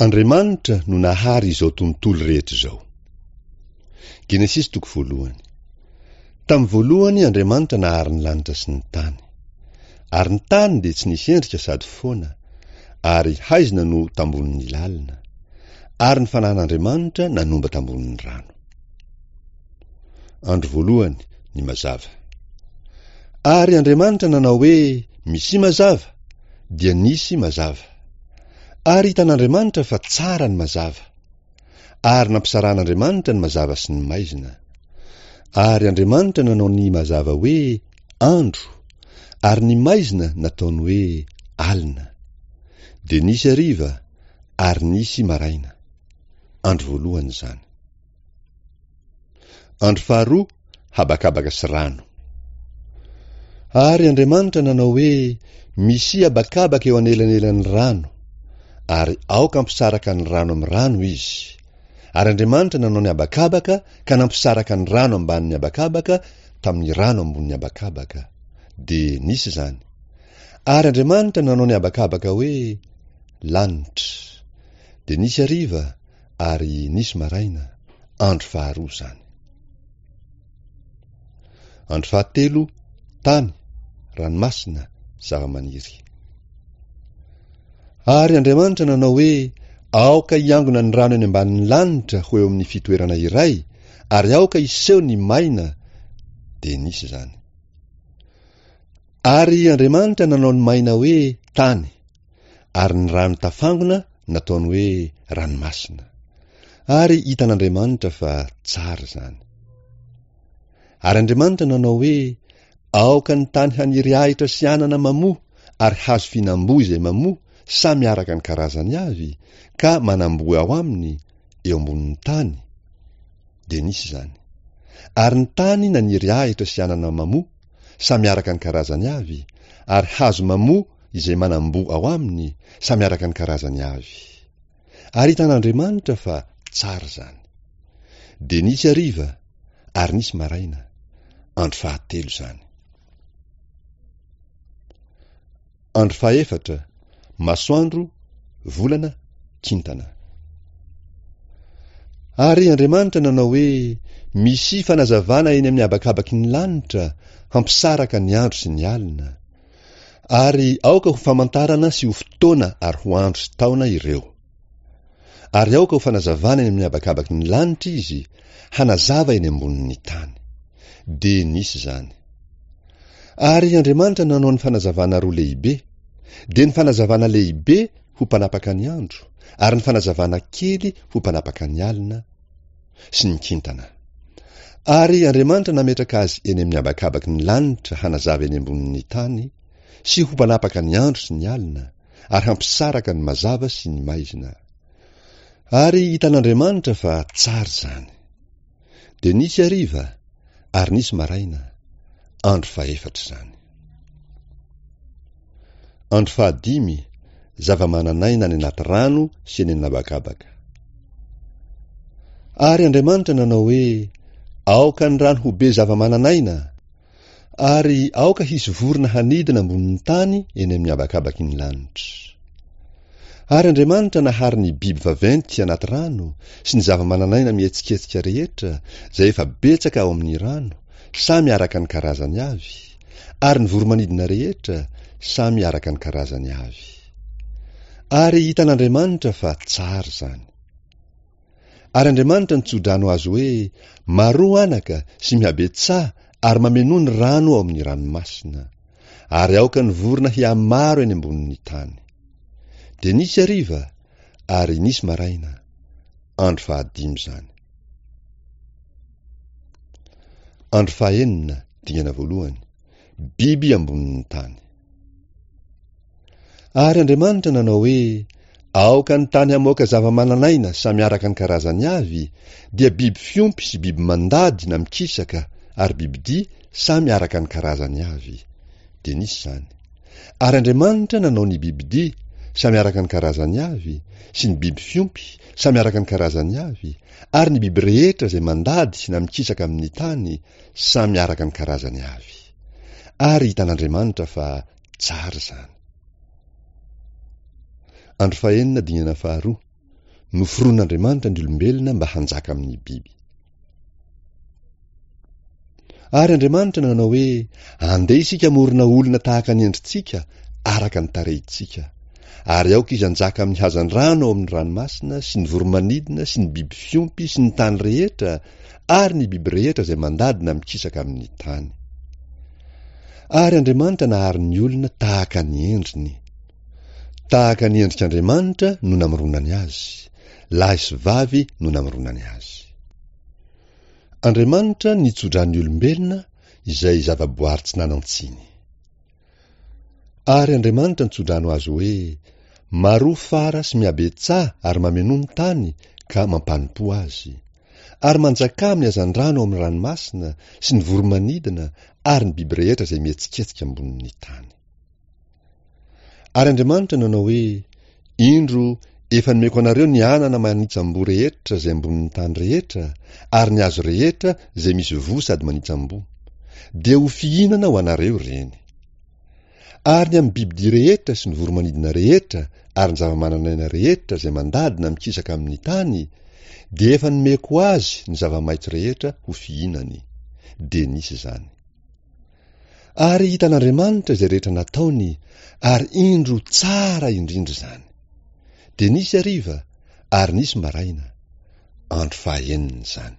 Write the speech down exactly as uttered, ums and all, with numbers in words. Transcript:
Andriamanitra no nahary izao tontolo rehetra izao. Genesisy toko voalohany. Tamin'ny voalohany Andriamanitra nahary ny lanitra sy ny tany. Ary ny tany dia tsy nisy endrika sady foana, ary haizina no tambonin'ny lalina. Ary ny fanahin'Andriamanitra nanomba tambonin'ny rano. Andro voalohany, ny mazava. Ary Andriamanitra nanao hoe, Misia mazava, dia nisy mazava. Ary hitan'Andriamanitra fa tsara ny mazava. Ary nampisarahan'Andriamanitra ny mazava sy ny maizina. Ary Andriamanitra nanao ny mazava hoe andro, ary ny maizina nataony hoe alina. Dia nisy hariva, ary nisy maraina. Andro voalohany izany. Andro faharoa, habakabaka sy rano. Ary Andriamanitra nanao hoe, Misia habakabaka eo anelanelan'ny rano, ary aoka hampisaraka ny rano amin'ny rano izy. Ary Andriamanitra nanao ny habakabaka ka nampisaraka ny rano ambanin'ny habakabaka tamin'ny rano ambonin'ny habakabaka. Dia nisy izany. Ary Andriamanitra nanao ny habakabaka hoe lanitra. Dia nisy hariva ary nisy maraina, andro faharoa izany. Andro fahatelo, tany, ranomasina, zava-maniry. Ary Andriamanitra nanao hoe, Aoka hiangona ny rano eny ambanin'ny lanitra ho eo amin'ny fitoerana iray, ary aoka hiseho ny maina. Dia nisy izany. Ary Andriamanitra nanao ny maina hoe tany, ary ny rano tafangona nataony hoe ranomasina. Ary hitan'Andriamanitra fa tsara izany. Ary Andriamanitra nanao hoe, Aoka ny tany haniry ahitra sy anana mamoa ary hazo fihinam-boa izay mamoa samy araka ny karazany avy, ka manam-boa ao aminy, eo ambonin'ny tany. Dia nisy izany. Ary ny tany naniry ahitra sy anana mamoa, samy araka ny karazany avy, ary hazo mamoa izay manam-boa ao aminy, samy araka ny karazany avy. Ary hitan'Andriamanitra fa tsara izany. Dia nisy hariva, ary nisy maraina, andro fahatelo izany. Andro fahefatra, masoandro, volana, kintana. Ary Andriamanitra nanao hoe, Misia fanazavana eny amin'ny habakabaky ny lanitra, hampisaraka ny andro sy ny alina. Ary aoka ho famantarana sy ho fotoana ary ho andro sy taona ireo. Ary aoka ho fanazavana eny amin'ny habakabaky ny lanitra izy, hanazava eny ambonin'ny tany. Dia nisy izany. Ary Andriamanitra nanao ny fanazavana roa lehibe, dia ny fanazavana lehibe ho mpanapaka ny andro, ary ny fanazavana kely ho mpanapaka ny alina, sy ny kintana. Ary Andriamanitra nametraka azy eny amin'ny habakabaky ny lanitra hanazava eny ambonin'ny tany, sy ho mpanapaka ny andro sy ny alina, ary hampisaraka ny mazava sy ny maizina. Ary hitan'Andriamanitra fa tsara izany. Dia nisy hariva, ary nisy maraina, andro fahefatra izany. Andro fahadimy, zava-manan'aina any anaty rano sy eny an'habakabaka. Ary Andriamanitra nanao hoe, Aoka ny rano ho be zava-manan'aina, ary aoka hisy vorona hanidina ambonin'ny tany eny amin'ny habakabaky ny lanitra. Ary Andriamanitra nahary ny biby vaventy anaty rano sy ny zava-manan'aina mihetsiketsika rehetra izay efa betsaka ao amin'ny rano, samy araka ny karazany avy, ary ny voro-manidina rehetra, samy araka ny karazany avy. Ary hitan'Andriamanitra fa tsara izany. Ary Andriamanitra nitso-drano azy hoe, Maroa anaka sy mihabetsaha ary mamenoa ny rano ao amin'ny ranomasina. Ary aoka ny vorona hihamaro eny ambonin'ny tany. Dia nisy hariva, ary nisy maraina, andro fahadimy izany. Andro fahenina, dingana voalohany, biby ambonin'ny tany. Ary Andriamanitra nanao hoe, Aoka ny tany hamoaka zava-manan'aina samy araka ny karazany avy, dia biby fiompy sy biby mandady na mikisaka ary bibidia samy araka ny karazany avy. Dia nisy izany. Ary Andriamanitra nanao ny bibidia samy araka ny karazany avy, sy ny biby fiompy samy araka ny karazany avy, ary ny biby rehetra izay mandady na mikisaka amin'ny tany samy araka ny karazany avy. Ary hitan'Andriamanitra fa tsara izany. Andro fahenina dingana faharoa, Noforonin'Andriamanitra ny olombelona mba hanjaka amin'ny biby. Ary Andriamanitra nanao hoe, Andeha isika hamorona olona tahaka ny endritsika, araka ny tarehintsika. Ary aoka izy hanjaka amin'ny hazandrano ao amin'ny ranomasina, sy ny voro-manidina, sy ny biby fiompy, sy ny tany rehetra, ary ny biby rehetra izay mandady na mikisaka amin'ny tany. Ary Andriamanitra nahary ny olona tahaka ny endriny. Tahaka ny endrik'Andriamanitra no namoronany azy, lahy sy vavy no namoronany azy. Andriamanitra nitso-drano ny olombelona izay zavaboary tsy nanan-tsiny. Ary Andriamanitra nitso-drano azy hoe, Maroa fara sy mihabetsaha ary mamenoa ny tany ka mampanompoa azy. Ary manjakà amin'ny hazandrano ao amin'ny ranomasina sy ny voro-manidina ary ny biby rehetra izay mihetsiketsika ambonin'ny tany. Ary Andriamanitra nanao hoe, Indro, efa nomeko anareo ny anana manitsam-boa rehetra izay ambonin'ny tany rehetra, ary ny hazo rehetra izay misy voa sady manitsam-boa. Dia ho fihinana ho anareo ireny. Ary ny amin'ny bibidia rehetra sy ny voro-manidina rehetra ary ny zava-manan'aina rehetra izay mandady na mikisaka amin'ny tany, dia efa nomeko azy ny zava-maitso rehetra ho fihinany. Dia nisy izany. Ary hitan'Andriamanitra izay rehetra nataony, ary indro tsara indrindra izany. Dia nisy hariva, ary nisy maraina. Andro fahaenina izany.